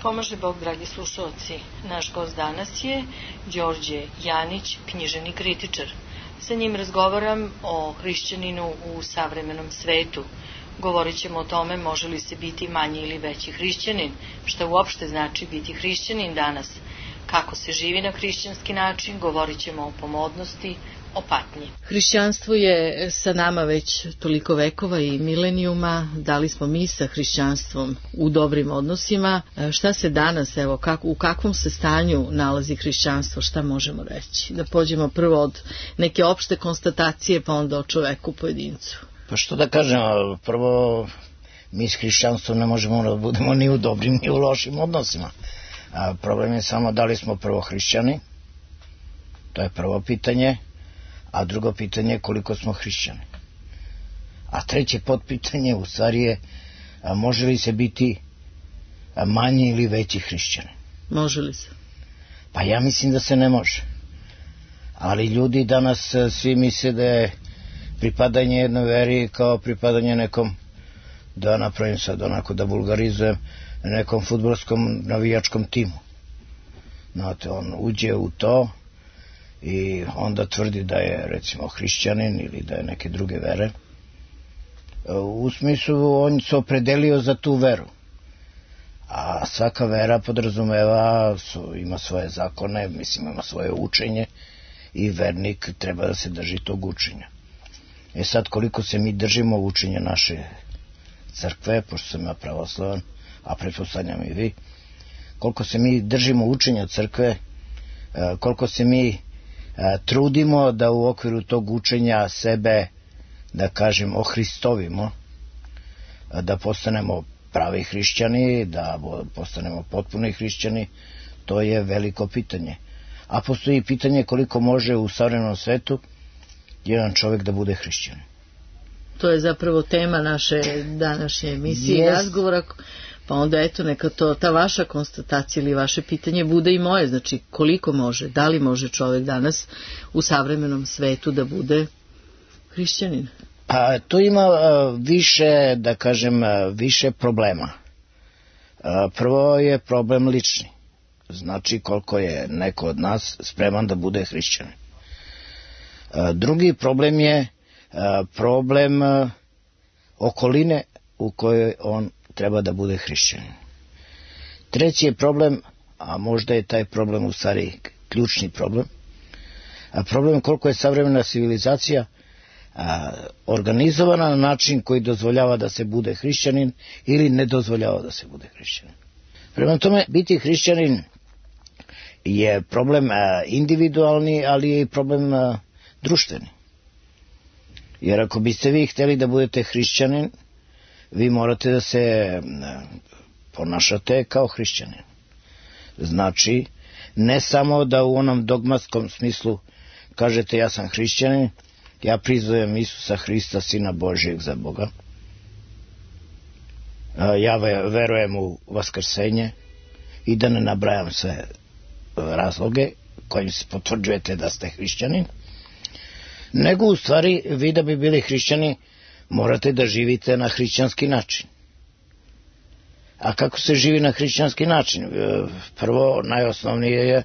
Pomaže Bog, dragi slušalci. Naš gost danas je Đorđe Janić, književni kritičar. Sa njim razgovaram o hrišćaninu u savremenom svetu. Govorit ćemo o tome može li se biti manji ili veći hrišćanin, šta uopšte znači biti hrišćanin danas, kako se živi na hrišćanski način, govorit ćemo o pomodnosti, o patnji. Hrišćanstvo je sa nama već toliko vekova i milenijuma, da li smo mi sa hrišćanstvom u dobrim odnosima, šta se danas, evo, u kakvom se stanju nalazi hrišćanstvo, šta možemo reći? Da pođemo prvo od neke opšte konstatacije, pa onda o čoveku pojedincu. Pa što da kažem, prvo mi s hrišćanstvom ne možemo da budemo ni u dobrim ni u lošim odnosima. Problem je samo da li smo prvo hrišćani, to je prvo pitanje, a drugo pitanje je koliko smo hrišćani. A treće potpitanje u stvari je može li se biti manji ili veći hrišćani. Može li se? Pa ja mislim da se ne može. Ali ljudi danas svi misle da je pripadanje jednoj veri kao pripadanje nekom, da napravim sad onako da vulgarizujem, nekom fudbalskom navijačkom timu. Znate, on uđe u to i onda tvrdi da je recimo hrišćanin ili da je neke druge vere. U smislu on se opredelio za tu veru. A svaka vera podrazumeva, ima svoje zakone, mislim ima svoje učenje i vernik treba da se drži tog učenja. Sad koliko se mi držimo učenja naše crkve, pošto sam ja pravoslavan, a pretpostavljam i vi, koliko se mi držimo učenja crkve, koliko se mi trudimo da u okviru tog učenja sebe, da kažem, ohristovimo, da postanemo pravi hrišćani, da postanemo potpuni hrišćani, to je veliko pitanje. A postoji pitanje koliko može u savremenom svetu jedan čovjek da bude hrišćanin. To je zapravo tema naše današnje emisije i razgovora, pa onda eto neka to, ta vaša konstatacija ili vaše pitanje bude i moje, znači koliko može, da li može čovjek danas u savremenom svetu da bude hrišćanin? Pa to ima više, da kažem, više problema. Prvo je problem lični, znači koliko je neko od nas spreman da bude hrišćanin. Drugi problem je problem okoline u kojoj on treba da bude hrišćanin. Treći je problem, a možda je taj problem u stvari ključni problem, a problem koliko je savremena civilizacija organizovana na način koji dozvoljava da se bude hrišćanin ili ne dozvoljava da se bude hrišćanin. Prema tome, biti hrišćanin je problem individualni, ali je i problem društveni. Jer ako biste vi htjeli da budete hrišćanin, vi morate da se ponašate kao hrišćanin. Znači, ne samo da u onom dogmatskom smislu kažete ja sam hrišćanin, ja priznajem Isusa Hrista, Sina Božijeg za Boga, ja verujem u vaskrsenje i da ne nabrajam sve razloge kojim se potvrđujete da ste hrišćanin, nego u stvari vi da bi bili hrišćani morate da živite na hrišćanski način. A kako se živi na hrišćanski način? Prvo, najosnovnije je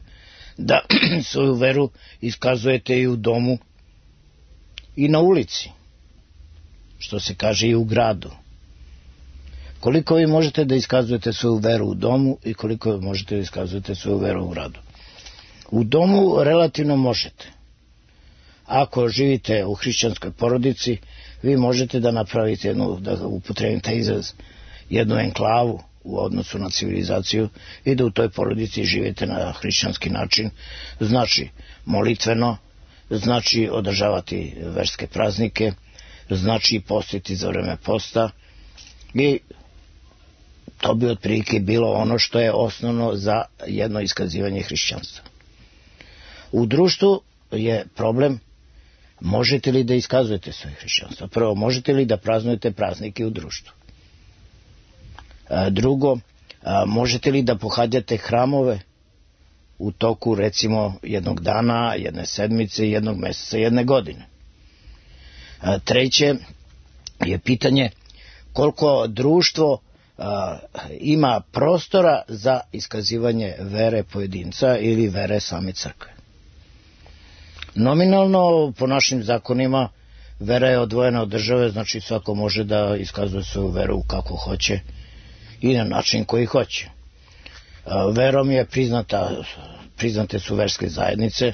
da svoju veru iskazujete i u domu i na ulici, što se kaže i u gradu. Koliko vi možete da iskazujete svoju veru u domu i koliko možete da iskazujete svoju veru u gradu? U domu relativno možete. Ako živite u hrišćanskoj porodici, vi možete da napravite jednu, da upotrebim taj izraz, jednu enklavu u odnosu na civilizaciju i da u toj porodici živite na hrišćanski način, znači molitveno, znači održavati verske praznike, znači postiti za vreme posta i to bi otprilike bilo ono što je osnovno za jedno iskazivanje hrišćanstva. U društvu je problem možete li da iskazujete svoje hrišćanstvo. Prvo, možete li da praznujete praznike u društvu. Drugo, možete li da pohađate hramove u toku recimo jednog dana, jedne sedmice, jednog meseca, jedne godine. Treće je pitanje koliko društvo ima prostora za iskazivanje vere pojedinca ili vere same crkve. Nominalno, po našim zakonima, vera je odvojena od države, znači svako može da iskazuje svoju veru kako hoće i na način koji hoće. Verom je priznate su verske zajednice,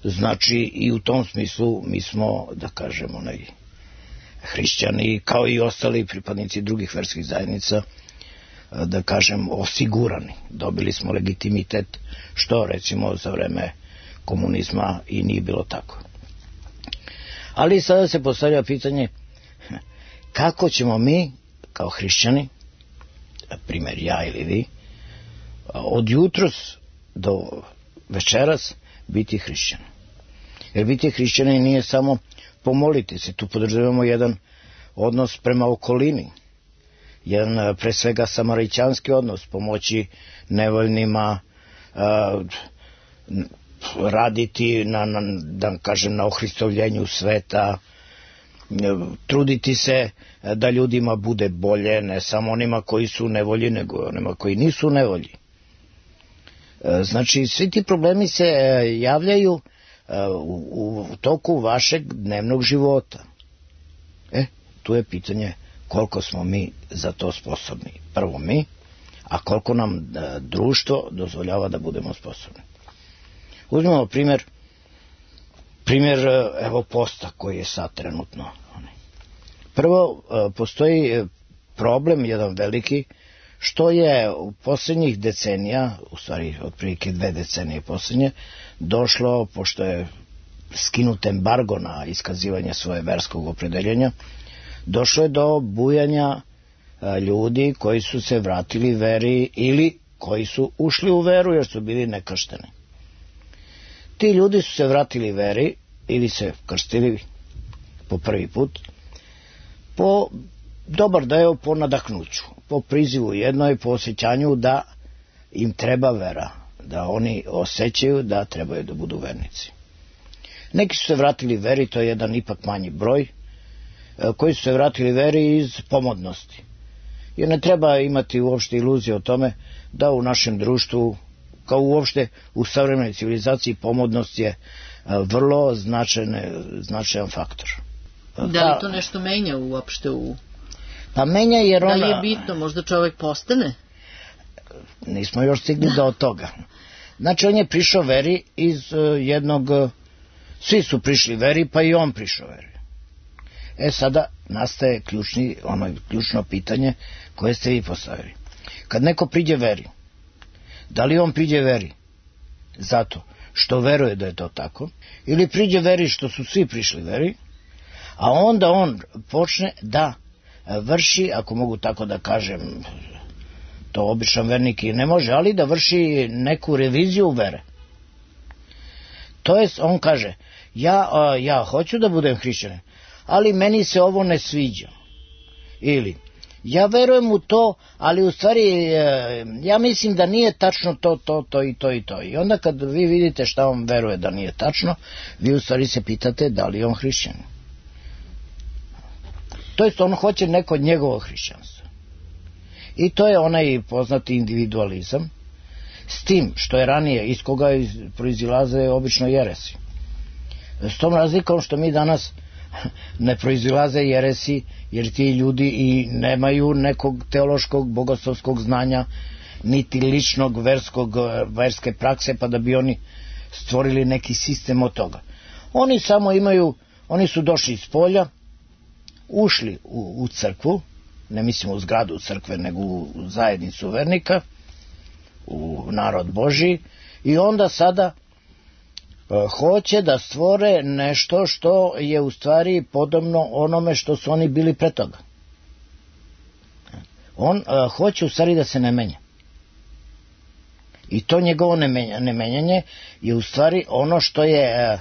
znači i u tom smislu mi smo, da kažemo, hrišćani, kao i ostali pripadnici drugih verskih zajednica, da kažem, osigurani. Dobili smo legitimitet, što recimo za vreme komunizma i nije bilo tako. Ali sada se postavlja pitanje kako ćemo mi kao hrišćani, primjer ja ili vi, od jutros do večeras biti hrišćani. Jer biti hrišćani nije samo pomoliti se, tu podrazumevamo jedan odnos prema okolini, jedan pre svega samarićanski odnos, pomoći nevoljnima, raditi na ohristovljenju sveta, truditi se da ljudima bude bolje, ne samo onima koji su u nevolji, nego onima koji nisu u nevolji. Znači, svi ti problemi se javljaju u toku vašeg dnevnog života. Tu je pitanje koliko smo mi za to sposobni. Prvo mi, a koliko nam društvo dozvoljava da budemo sposobni. Uzmemo primjer evo posta koji je sad trenutno. Prvo, postoji problem jedan veliki, što je u posljednjih decenija, u stvari otprilike 2 decenije posljednje, došlo, pošto je skinut embargo na iskazivanje svoje verskog opredeljenja, došlo je do bujanja ljudi koji su se vratili veri ili koji su ušli u veru jer su bili nekršteni. Ti ljudi su se vratili veri ili se krstili po prvi put po dobar deo po nadahnuću, po prizivu jednoj, po osjećanju da im treba vera, da oni osjećaju da trebaju da budu vernici. Neki su se vratili veri, to je jedan ipak manji broj, koji su se vratili veri iz pomodnosti. Jer ne treba imati uopšte iluzije o tome da u našem društvu, kao uopšte u savremenoj civilizaciji, pomodnost je vrlo značajan faktor. Da li to nešto menja uopšte u... Pa menja jer ona... Da li je bitno, možda čovjek postane? Nismo još stigli do toga. Znači, on je prišao veri iz jednog... Svi su prišli veri, pa i on prišao veri. Sada nastaje ključno pitanje koje ste vi postavili. Kad neko priđe veri, da li on priđe veri zato što veruje da je to tako, ili priđe veri što su svi prišli veri, a onda on počne da vrši, ako mogu tako da kažem, to običan vernik i ne može, ali da vrši neku reviziju vere. To jest, on kaže, ja hoću da budem hrišćanin, ali meni se ovo ne sviđa. Ili, ja verujem u to, ali u stvari ja mislim da nije tačno to i to i to. I onda kad vi vidite šta on veruje da nije tačno, vi u stvari se pitate da li je on hrišćanin. To jest, on hoće neko njegovo hrišćanstvo. I to je onaj poznati individualizam, s tim što je ranije, iz koga proizilaze obično jeresi. S tom razlikom što mi danas ne proizilaze jeresi, jer ti ljudi i nemaju nekog teološkog, bogoslovskog znanja, niti ličnog verske prakse, pa da bi oni stvorili neki sistem od toga. Oni samo oni su došli iz polja, ušli u crkvu, ne mislimo u zgradu crkve, nego u zajednicu vernika, u narod Božji, i onda sada hoće da stvore nešto što je u stvari podobno onome što su oni bili pre toga. On hoće u stvari da se ne menja. I to njegovo nemenjanje je u stvari ono što je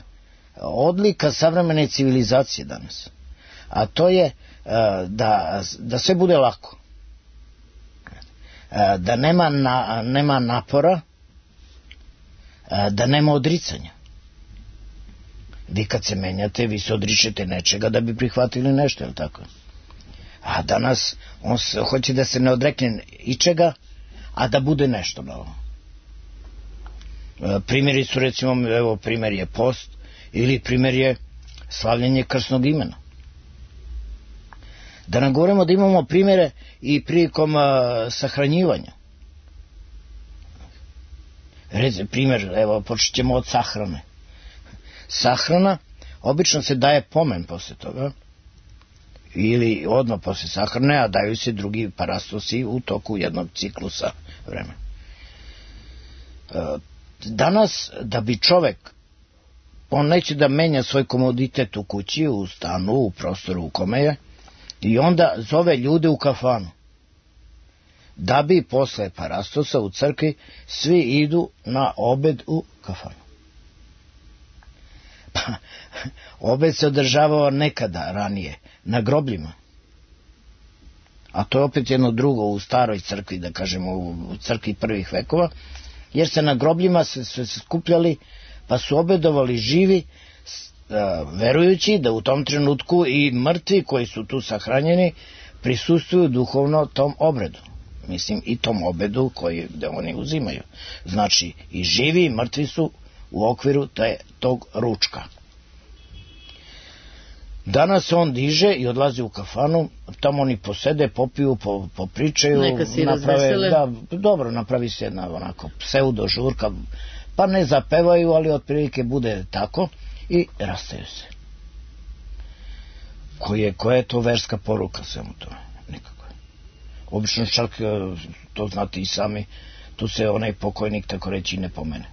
odlika savremene civilizacije danas. A to je da sve bude lako. Da nema napora, da nema odricanja. Vi kad se menjate, vi se odričete nečega da bi prihvatili nešto, je li tako? A danas on hoće da se ne odrekne ičega, a da bude nešto novo. Primjeri su, recimo, evo, primjer je post, ili primjer je slavljenje krsnog imena. Da ne govorimo da imamo primjere i prilikom sahranjivanja. Primjer, evo, počet ćemo od sahrane. Sahrana, obično se daje pomen posle toga, ili odmah posle sahrane, a daju se drugi parastosi u toku jednog ciklusa vremena. Danas, da bi čovek, on neće da menja svoj komoditet u kući, u stanu, u prostoru u kome je, i onda zove ljude u kafanu. Da bi posle parastosa u crkvi svi idu na obed u kafanu. Pa, obed se održavao nekada ranije, na grobljima. A to je opet jedno drugo u staroj crkvi, da kažemo u crkvi prvih vekova, jer se na grobljima se skupljali, pa su obedovali živi, verujući da u tom trenutku i mrtvi koji su tu sahranjeni prisustvuju duhovno tom obredu. Mislim, i tom obedu koji oni uzimaju. Znači, i živi i mrtvi su u okviru tog ručka. Danas on diže i odlazi u kafanu, tamo oni posede, popiju, popričaju, neka si razvesele. Da, dobro, napravi se jedna onako pseudo žurka, pa ne zapevaju, ali otprilike bude tako i rastaju se. Koja je to verska poruka svemu tome? Nikako. Obično čak, to znate i sami, tu se onaj pokojnik, tako reći, ne pomene.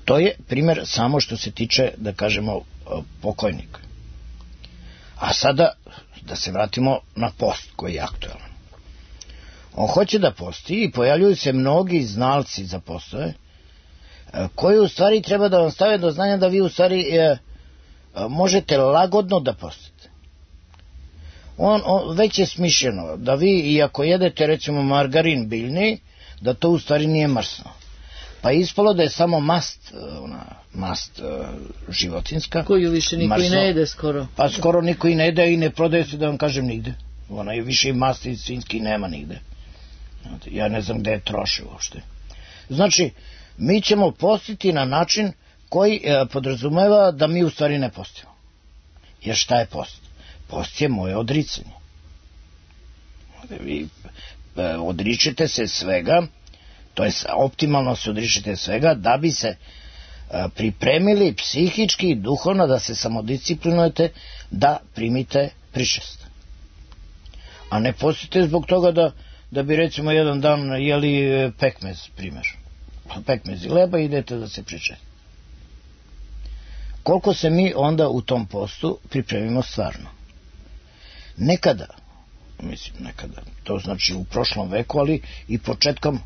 To je primjer samo što se tiče, da kažemo, pokojnika. A sada, da se vratimo na post koji je aktualan. On hoće da posti i pojavljuju se mnogi znalci za postove, koji u stvari treba da vam stave do znanja da vi u stvari možete lagodno da postite. Već je smišljeno da vi, i ako jedete recimo margarin biljni, da to u stvari nije mrsno. Pa je ispalo da je samo mast životinska. Koju više niko i ne jede skoro. Pa skoro niko i ne jede i ne prodaje se, da vam kažem, nigde. Ona je više i masti svinjski nema nigde. Ja ne znam gde je troše uopšte. Znači, mi ćemo postiti na način koji podrazumeva da mi u stvari ne postimo. Jer šta je post? Post je moje odricanje. Vi odričete se svega, to je optimalno se odričete svega, da bi se pripremili psihički i duhovno, da se samodisciplinujete, da primite pričest. A ne postite zbog toga da bi recimo jedan dan jeli pekmez, primjer. Pekmez i leba i idete da se pričeste. Koliko se mi onda u tom postu pripremimo stvarno? Nekada, to znači u prošlom veku, ali i početkom,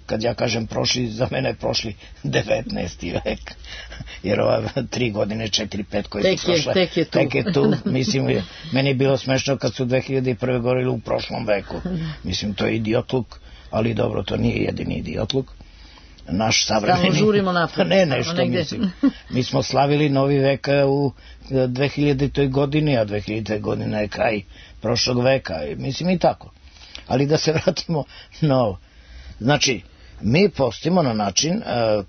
kad ja kažem prošli, za mene je prošli 19. vek, jer ova 3 godine, 4-5 koje su prošle, tek je tu. Mislim, meni je bilo smešno kad su 2001. govorili u prošlom veku. Mislim, to je idiotluk, ali dobro, to nije jedini idiotluk. Naš savremeni... Samo žurimo napred. Ne, nešto mislim. Mi smo slavili novi vek u 2000. godini, a 2000. godina je kraj prošlog veka. Mislim i tako. Ali da se vratimo na ovo. Znači, mi postimo na način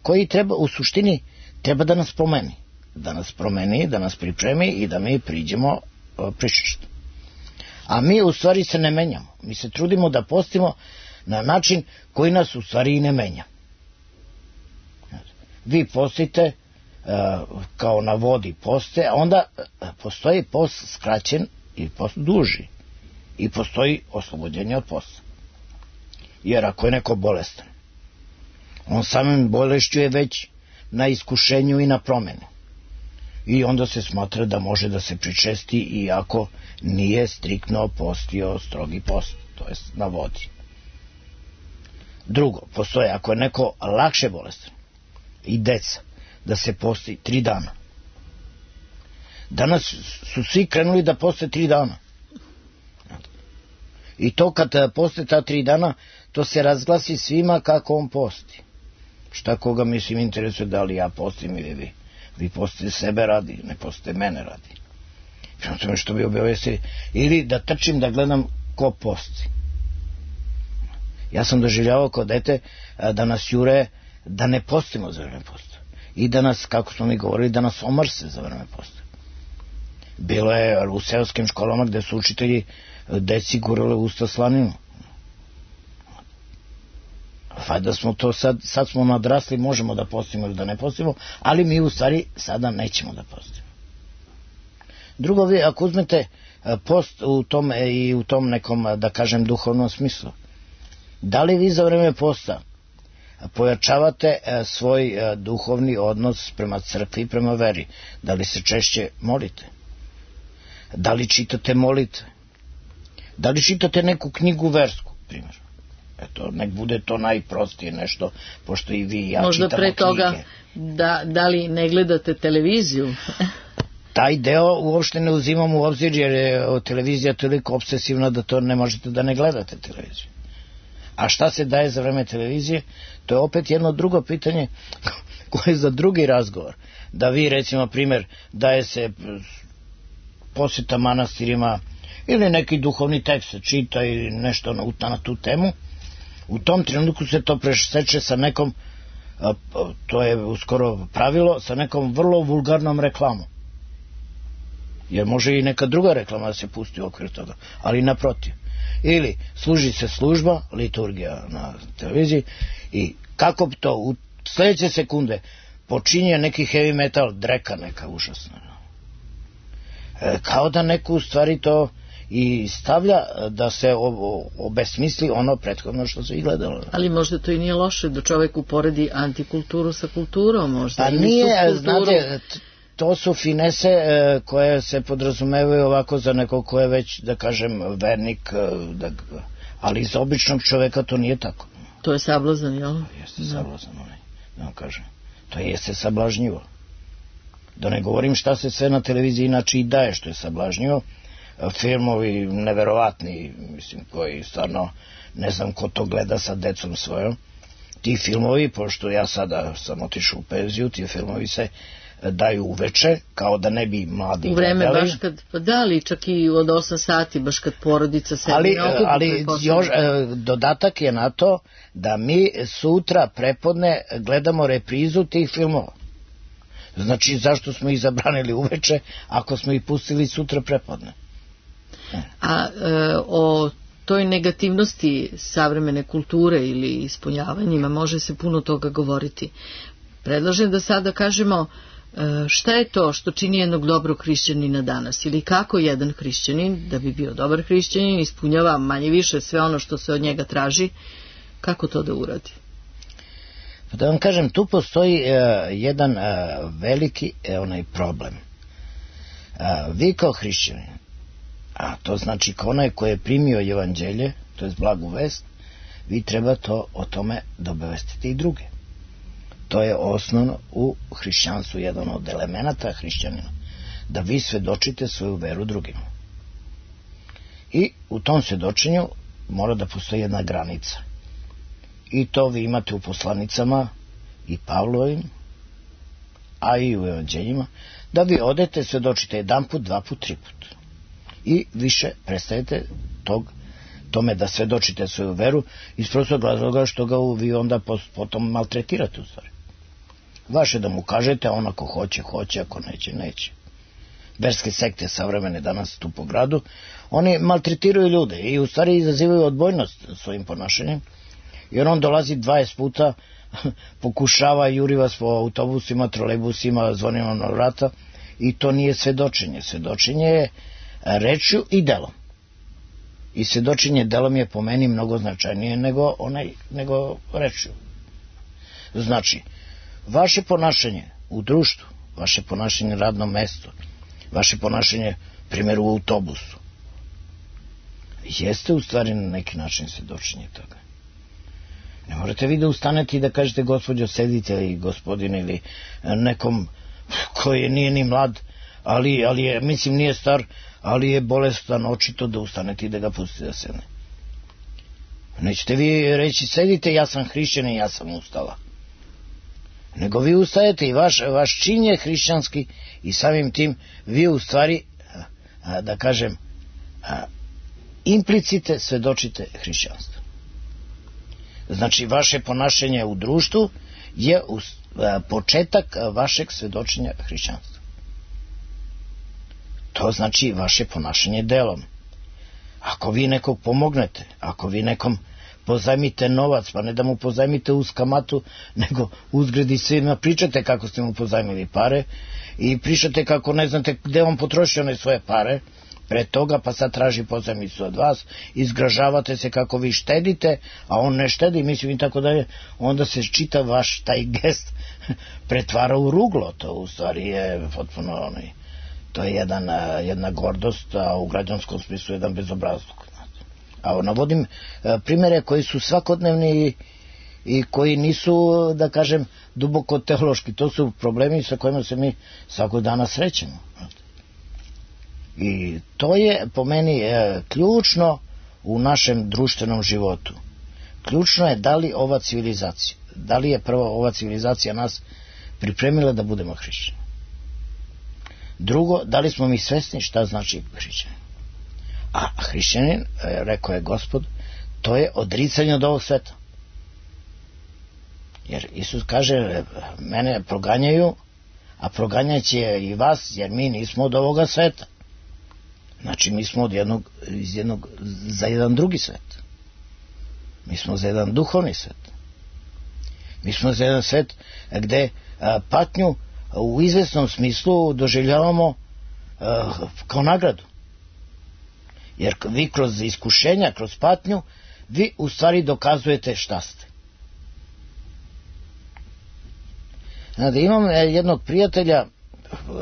koji treba, u suštini, treba da nas promeni. Da nas promeni, da nas pripremi i da mi priđemo pričešću. A mi u stvari se ne menjamo. Mi se trudimo da postimo na način koji nas u stvari i ne menja. Vi postite kao na vodi poste, a onda postoji post skraćen i post duži. I postoji oslobođenje od posta. Jer ako je neko bolestan, on samim bolešću je već na iskušenju i na promjeni. I onda se smatra da može da se pričesti iako nije striktno postio strogi post, to jest na vodi. Drugo, postoje ako je neko lakše bolestan, i deca, da se posti 3 dana. Danas su svi krenuli da poste 3 dana. I to kad poste ta 3 dana, to se razglasi svima kako on posti. Šta koga mislim interesuje da li ja postim ili vi. Vi postite sebe radi, ne postite mene radi. prema tome što bi obavestili, ili da trčim da gledam ko posti. Ja sam doživljavao kao dete da nas jure da ne postimo za vreme posta i da nas, kako smo mi govorili, da nas omrse za vreme posta. Bilo je u seoskim školama gde su učitelji deci gurali usta slaninu. Da smo to sad smo nadrasli, možemo da postimo ili da ne postimo, ali mi u stvari sada nećemo da postimo. Drugo, vi ako uzmete post u tom nekom, da kažem, duhovnom smislu, da li vi za vreme posta pojačavate svoj duhovni odnos prema crkvi i prema veri? Da li se češće molite? Da li čitate molitve? Da li čitate neku knjigu versku, primjer? Eto, nek bude to najprostije nešto, pošto i vi i ja možda čitamo knjige. Možda pre toga, da li ne gledate televiziju? Taj deo uopšte ne uzimam u obzir, jer je televizija toliko obsesivna da to ne možete da ne gledate televiziju. A šta se daje za vreme televizije? To je opet jedno drugo pitanje koje je za drugi razgovor. Da vi, recimo, primjer, daje se posjeta manastirima ili neki duhovni tekst se čita ili nešto na tu temu, u tom trenutku se to preseče sa nekom, to je uskoro pravilo, sa nekom vrlo vulgarnom reklamom. Jer može i neka druga reklama da se pusti u okviru toga, ali naprotiv. Ili služi se služba, liturgija na televiziji, i kako to u sljedeće sekunde počinje neki heavy metal, dreka neka užasna. Kao da neko u stvari to i stavlja da se obesmisli ono prethodno što se i gledalo. Ali možda to i nije loše da čovjek uporedi antikulturu sa kulturom, možda. A nije, znate, to su finese koje se podrazumevaju ovako za nekog ko je već, da kažem, vernik, ali za običnog čoveka to nije tako. To je sablazan, jel? Jeste sablazan, da vam kažem. To jeste sablažnjivo. Da ne govorim šta se sve na televiziji inače i daje što je sablažnjivo. Filmovi neverovatni, mislim, koji stvarno ne znam ko to gleda sa decom svojom. Ti filmovi, pošto ja sada sam otišao u penziju, ti filmovi se daju uveče, kao da ne bi mladi gledali. U vreme baš kad, pa da li čak i od 8 sati, baš kad porodica se ne okupi. Ali još dodatak je na to da mi sutra prepodne gledamo reprizu tih filmova. Znači, zašto smo ih zabranili uveče ako smo ih pustili sutra prepodne? A o toj negativnosti savremene kulture ili ispunjavanjima može se puno toga govoriti. Predlažem da sada kažemo šta je to što čini jednog dobrog hrišćanina danas, ili kako jedan hrišćanin, da bi bio dobar hrišćanin, ispunjava manje više sve ono što se od njega traži, kako to da uradi? Da vam kažem, tu postoji jedan veliki problem. Vi kao hrišćanin, a to znači kao onaj koji je primio evanđelje, to je blagu vest, vi treba o tome da obavestite i druge. To je osnovno u hrišćanstvu, jedan od elemenata hrišćanina, da vi svedočite svoju veru drugima. I u tom svedočenju mora da postoji jedna granica. I to vi imate u poslanicama i Pavlovim, a i u evanđeljima, da vi odete, svedočite jedan put, dva put, tri put. I više prestajete tome da svedočite svoju veru iz prostog razloga što ga vi onda potom maltretirate u stvari. Vaše da mu kažete, on ako hoće, hoće, ako neće, neće. Verske sekte savremene danas tu po gradu, oni maltretiraju ljude i u stvari izazivaju odbojnost svojim ponašanjem, jer on dolazi 20 puta, pokušava, juri vas po autobusima, trolejbusima, zvonima na vrata, i to nije svedočenje. Svedočenje je rečju i delom. I svedočenje delom je po meni mnogo značajnije nego rečju. Znači, vaše ponašanje u društvu, vaše ponašanje na radnom mestu, vaše ponašanje, primjer, u autobusu, jeste u stvari na neki način svedočenje toga. Ne morate vi da ustanete i da kažete gospođo sedite ili gospodine ili nekom koji nije ni mlad, ali je, mislim, nije star, ali je bolestan očito, da ustanete i da ga pustite da sedne. Nećete vi reći sedite, ja sam hrišćanin, ja sam ustala. Nego vi ustajete i vaš čin je hrišćanski i samim tim vi u stvari da kažem, implicite svedočite hrišćanstvo. Znači, vaše ponašanje u društvu je početak vašeg svedočenja hrišćanstva. To znači vaše ponašanje delom. Ako vi nekog pomognete, ako vi nekom pozajmite novac, pa ne da mu pozajmite uz kamatu, nego uzgred i svima pričate kako ste mu pozajmili pare i pričate kako ne znate gde on potroši one svoje pare pre toga, pa sad traži pozajmicu od vas, izgražavate se kako vi štedite, a on ne štedi, mislim i tako dalje, onda se čita vaš taj gest pretvara u ruglo. To u stvari je potpuno to je jedna gordost, a u građanskom smislu jedan bezobrazluk. A navodim primere koji su svakodnevni i koji nisu, da kažem, duboko teološki. To su problemi sa kojima se mi svakog dana srećemo. I to je po meni ključno u našem društvenom životu. Ključno je da li ova civilizacija, da li je prvo ova civilizacija nas pripremila da budemo hrišćani. Drugo, da li smo mi svesni šta znači hrišćanin. A hrišćanin, rekao je Gospod, to je odricanje od ovog sveta. Jer Isus kaže, mene proganjaju, a proganjaće i vas, jer mi nismo od ovoga sveta. Znači, mi smo za jedan drugi svet. Mi smo za jedan duhovni svet. Mi smo za jedan svet gde patnju u izvesnom smislu doživljavamo kao nagradu. Jer vi kroz iskušenja, kroz patnju, vi u stvari dokazujete šta ste. Znate, imam jednog prijatelja,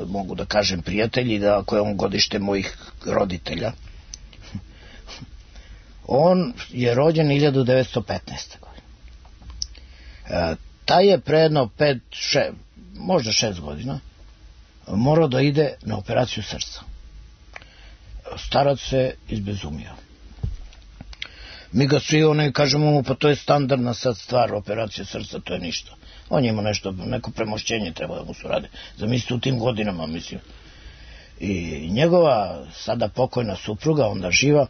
mogu da kažem prijatelji, da ako je on godište mojih roditelja, on je rođen 1915. godine. Taj je pre jedno 5, možda 6 godina morao da ide na operaciju srca. Starac se izbezumio. Mi ga svi kažemo mu, pa to je standardna sad stvar, operacija srca, to je ništa. On je imao neko premošćenje treba da mu se radi. Zamislite u tim godinama, mislim. I njegova sada pokojna supruga, onda živa,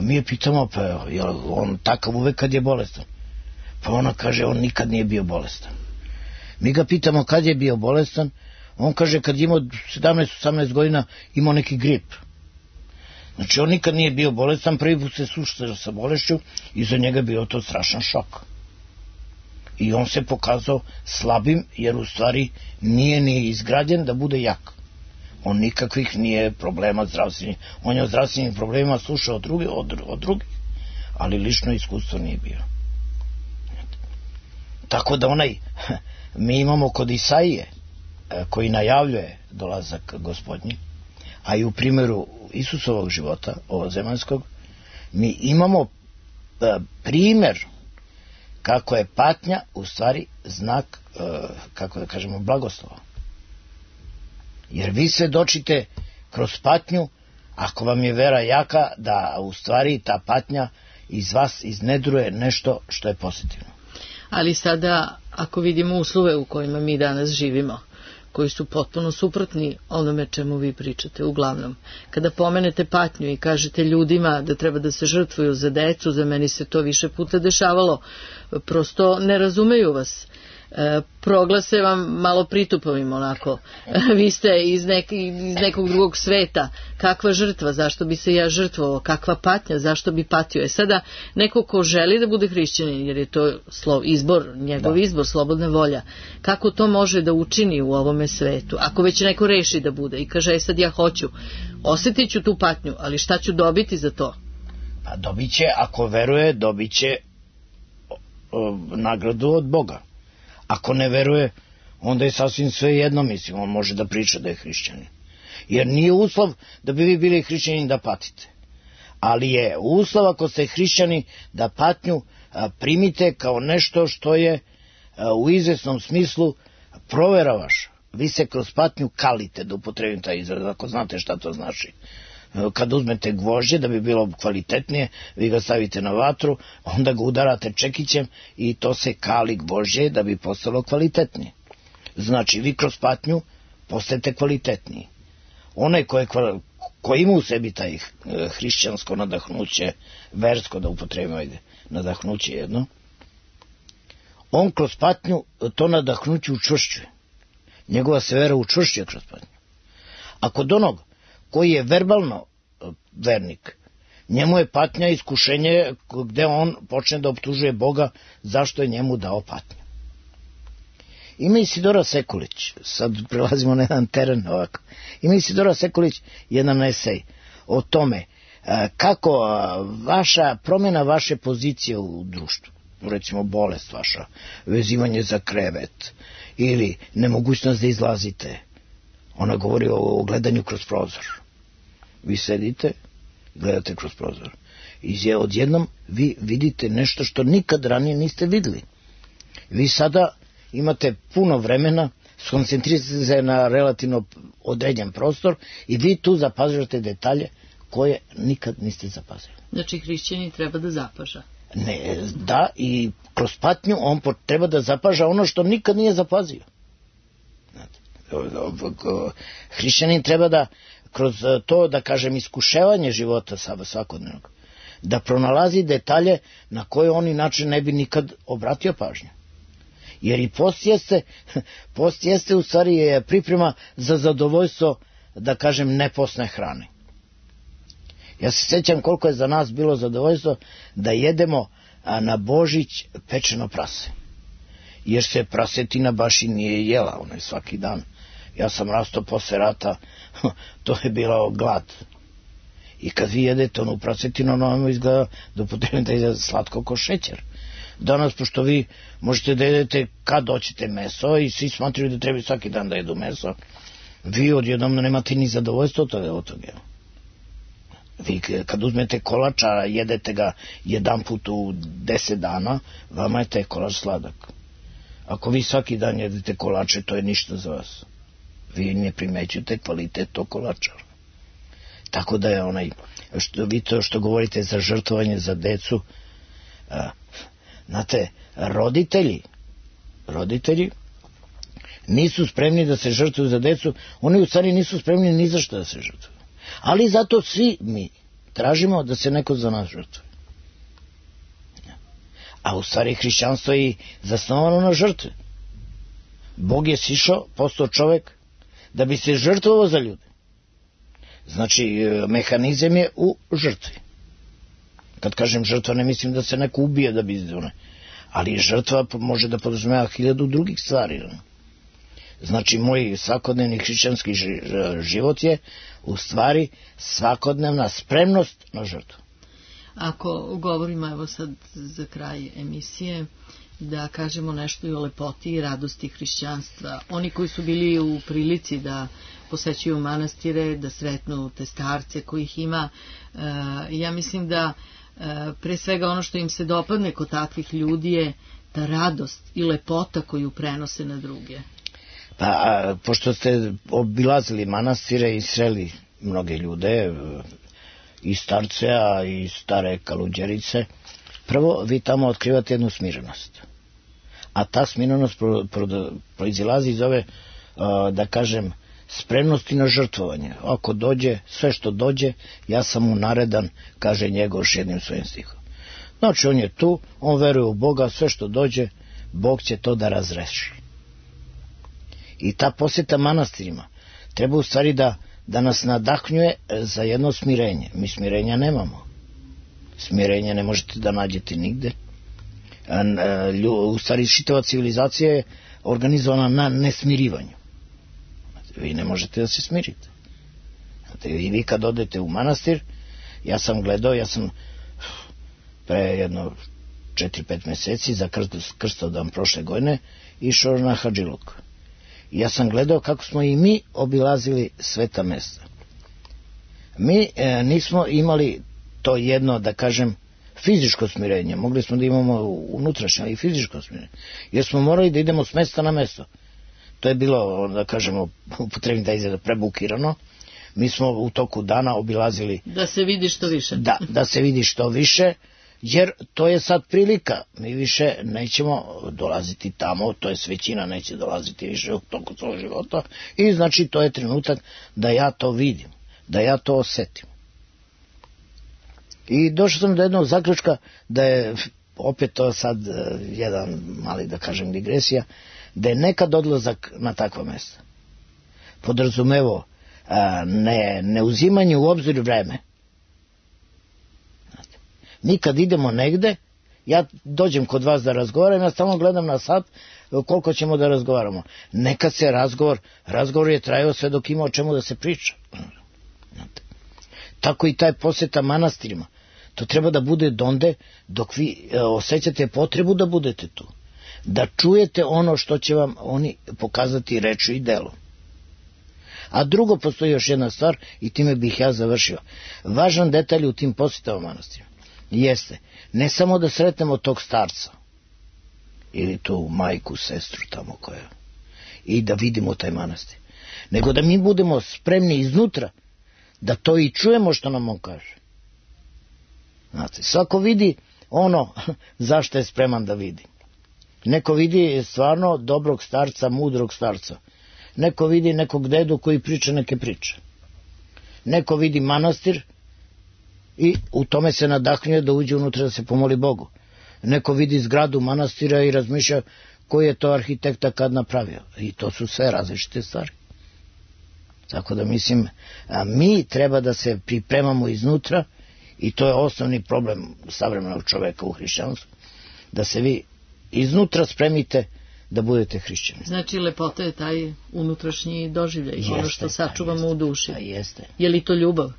mi je pitamo, pa je on takav uvek kad je bolestan? Pa ona kaže, on nikad nije bio bolestan. Mi ga pitamo kad je bio bolestan, on kaže kad je imao 17-18 godina imao neki grip. Znači on nikad nije bio bolestan, prvi put se susreo sa bolešću i za njega bio to strašan šok. I on se pokazao slabim, jer u stvari nije ni izgrađen da bude jak. On nikakvih nije problema zdravstvenih. On je o zdravstvenim problemima slušao od drugih, ali lično iskustvo nije bio. Tako da mi imamo kod Isaije, koji najavljuje dolazak Gospodnji, a i u primjeru Isusovog života, ovozemaljskog, mi imamo primjer kako je patnja u stvari znak, kako da kažemo, blagoslova. Jer vi svedočite kroz patnju, ako vam je vera jaka, da u stvari ta patnja iz vas iznedruje nešto što je pozitivno. Ali sada, ako vidimo uslove u kojima mi danas živimo, koji su potpuno suprotni onome čemu vi pričate, uglavnom. Kada pomenete patnju i kažete ljudima da treba da se žrtvuju za decu, za meni se to više puta dešavalo, prosto ne razumeju vas. Proglase vam malo pritupavim onako. Vi ste iz nekog drugog sveta. Kakva žrtva, zašto bi se ja žrtvovao? Kakva patnja, zašto bi patio? Sada neko ko želi da bude hrišćanin, jer je to izbor, njegov izbor, slobodna volja, kako to može da učini u ovome svetu? Ako već neko reši da bude i kaže, sad ja hoću, osjetit ću tu patnju, ali šta ću dobiti za to? Pa dobit će, ako veruje, dobit će nagradu od Boga. Ako ne veruje, onda je sasvim sve jedno, mislim, on može da priča da je hrišćanin. Jer nije uslov da bi vi bili hrišćani da patite. Ali je uslov, ako ste hrišćani, da patnju primite kao nešto što je u izvesnom smislu provera vaša. Vi se kroz patnju kalite, da upotrebim taj izraz, ako znate šta to znači. Kad uzmete gvožđe, da bi bilo kvalitetnije, vi ga stavite na vatru, onda ga udarate čekićem i to se kali gvožđe da bi postalo kvalitetnije. Znači, vi kroz patnju postajete kvalitetniji. Onaj ko ima u sebi taj hrišćansko nadahnuće, versko da upotrebimo nadahnuće jedno, on kroz patnju to nadahnuće učvršćuje. Njegova se vera učvršćuje kroz patnju. A kod onog koji je verbalno vernik, njemu je patnja iskušenje gde on počne da optužuje Boga zašto je njemu dao patnju. Ima Isidora Sekulić, sad prelazimo na jedan teren ovako, ima Isidora Sekulić jedan esej o tome kako promjena vaše pozicije u društvu, recimo bolest vaša, vezivanje za krevet ili nemogućnost da izlazite, ona govori o gledanju kroz prozor. Vi sedite, gledate kroz prozor i odjednom vi vidite nešto što nikad ranije niste vidjeli. Vi sada imate puno vremena, skoncentrirate se na relativno određen prostor i vi tu zapažate detalje koje nikad niste zapazili. Znači hrišćanin treba da zapaža. Ne, da, i kroz patnju on treba da zapaža ono što nikad nije zapazio. Hrišćanin treba da kroz to, da kažem, iskuševanje života svakodnevnog, da pronalazi detalje na koje on inače ne bi nikad obratio pažnju. Jer i post jeste u stvari priprema za zadovoljstvo, da kažem, nepostne hrane. Ja se sjećam koliko je za nas bilo zadovoljstvo da jedemo na Božić pečeno prase. Jer se prasetina baš i nije jela, ona je svaki dan. Ja sam rastao posle rata, to je bilo glad. I kad vi jedete onu prasetinu, ono vam izgleda da upotrebite da je slatko ko šećer. Danas, pošto vi možete da jedete kad hoćete meso i svi smatraju da treba svaki dan da jedu meso, vi odjednom nemate ni zadovoljstvo od toga. Vi kad uzmete kolača, jedete ga jedan put u 10 dana, vama je taj kolač sladak. Ako vi svaki dan jedete kolače, to je ništa za vas. Vi ne primećujete kvalitet tog kolača. Tako da je vi to što govorite za žrtvovanje za decu, znate, roditelji nisu spremni da se žrtvuju za decu, oni u stvari nisu spremni ni za što da se žrtvuju. Ali zato svi mi tražimo da se neko za nas žrtvuje. A u stvari hrišćanstvo je zasnovano na žrtve. Bog je sišao, postao čovek, da bi se žrtvovao za ljude. Znači, mehanizam je u žrtvi. Kad kažem žrtva, ne mislim da se neko ubije da bi izdone. Ali žrtva može da podrazumeva 1000 drugih stvari. Znači, moj svakodnevni hrišćanski život je u stvari svakodnevna spremnost na žrtvu. Ako govorimo, evo sad za kraj emisije, da kažemo nešto i o lepoti i radosti hrišćanstva. Oni koji su bili u prilici da posećuju manastire, da sretnu te starce kojih ima, ja mislim da pre svega ono što im se dopadne kod takvih ljudi je ta radost i lepota koju prenose na druge. Pa, pošto ste obilazili manastire i sreli mnoge ljude, i starce, a i stare kaluđerice, prvo vi tamo otkrivate jednu smirenost. A ta smirenost proizilazi iz ove, da kažem, spremnosti na žrtvovanje. Ako dođe, sve što dođe, ja sam mu naredan, kaže Njegoš jednim svojim stihom. Znači, on je tu, on veruje u Boga, sve što dođe, Bog će to da razreši. I ta posjeta manastirima treba u stvari da nas nadahnjuje za jedno smirenje. Mi smirenja nemamo. Smirenja ne možete da nađete nigde. U stvari čitava civilizacija je organizovana na nesmirivanju. Vi ne možete da se smirite. I vi kad odete u manastir, ja sam pre jedno 4-5 meseci za Krstodan prošle godine išao na Hadžiluk. Ja sam gledao kako smo i mi obilazili sveta mesta. Mi nismo imali to jedno, da kažem, fizičko smirenje. Mogli smo da imamo unutrašnje i fizičko smirenje. Jer smo morali da idemo s mesta na mesto. To je bilo, da kažemo, upotrebim da izgleda prebukirano. Mi smo u toku dana obilazili... Da se vidi što više. Da se vidi što više, jer to je sad prilika. Mi više nećemo dolaziti tamo, to je većina neće dolaziti više u toku svog života i znači to je trenutak da ja to vidim. da ja to osetim. I došao sam do jednog zaključka da je, opet to sad jedan mali, da kažem, digresija, da je nekad odlazak na takva mesta podrazumevo ne uzimanje u obzir vreme. Mi kad idemo negde, ja dođem kod vas da razgovaram, ja stalno gledam na sat koliko ćemo da razgovaramo. Nekad se razgovor je trajao sve dok ima o čemu da se priča. Tako i taj posjeta manastirima. To treba da bude donde dok vi osjećate potrebu da budete tu. Da čujete ono što će vam oni pokazati rečju i delom. A drugo, postoji još jedna stvar i time bih ja završio. Važan detalj u tim posjetama manastirima jeste ne samo da sretnemo tog starca ili tu majku, sestru tamo koja i da vidimo taj manastir, nego da mi budemo spremni iznutra da to i čujemo što nam on kaže. Znate, svako vidi ono zašto je spreman da vidi. Neko vidi stvarno dobrog starca, mudrog starca. Neko vidi nekog dedu koji priča neke priče. Neko vidi manastir i u tome se nadahnjuje da uđe unutra da se pomoli Bogu. Neko vidi zgradu manastira i razmišlja koji je to arhitekta kad napravio. I to su sve različite stvari. Tako da mislim, mi treba da se pripremamo iznutra i to je osnovni problem savremenog čoveka u hrišćanstvu. Da se vi iznutra spremite da budete hrišćani. Znači lepota je taj unutrašnji doživljaj, ono što sačuvamo u duši. Jeste. Je li to ljubav?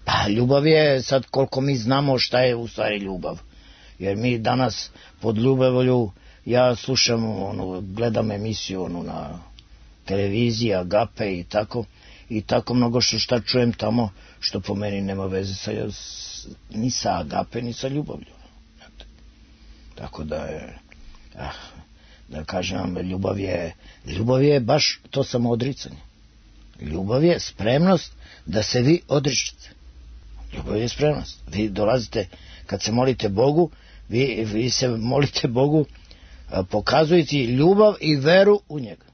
Pa ljubav je sad koliko mi znamo šta je u stvari ljubav. Jer mi danas pod ljubavlju, ja slušam, gledam emisiju na televiziji, Agape i tako mnogo šta čujem tamo što po meni nema veze ni sa Agape ni sa ljubavlju. Tako da je, da kažem vam, ljubav je baš to samoodricanje. Ljubav je spremnost da se vi odričete. Ljubav je spremnost. Vi dolazite, kad se molite Bogu, vi se molite Bogu pokazujući ljubav i veru u njega.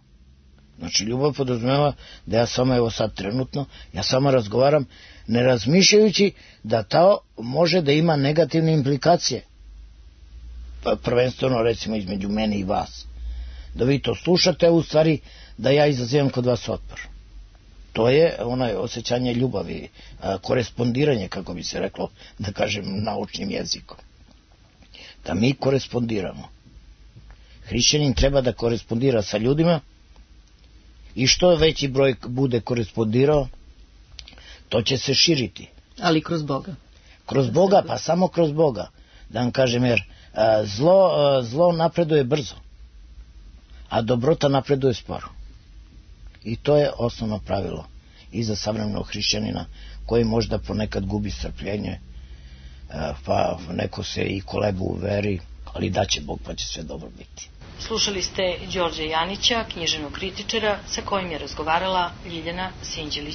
Znači ljubav podrazumeva da ja samo, evo sad trenutno, ja samo razgovaram ne razmišljajući da to može da ima negativne implikacije. Prvenstveno recimo između mene i vas. Da vi to slušate, u stvari da ja izazivam kod vas otpor. To je osjećanje ljubavi, korespondiranje, kako bi se reklo, da kažem naučnim jezikom. Da mi korespondiramo. Hrišćanin treba da korespondira sa ljudima i što veći broj bude korespondirao, to će se širiti. Ali kroz Boga. Kroz Boga, pa samo kroz Boga. Da vam kažem, jer zlo napreduje brzo, a dobrota napreduje sporo. I to je osnovno pravilo i za savremenog hrišćanina koji možda ponekad gubi strpljenje, pa neko se i kolebu u veri, ali daće Bog pa će sve dobro biti. Slušali ste Đorđa Janića, književnog kritičara, sa kojim je razgovarala Ljiljana Sinđelić.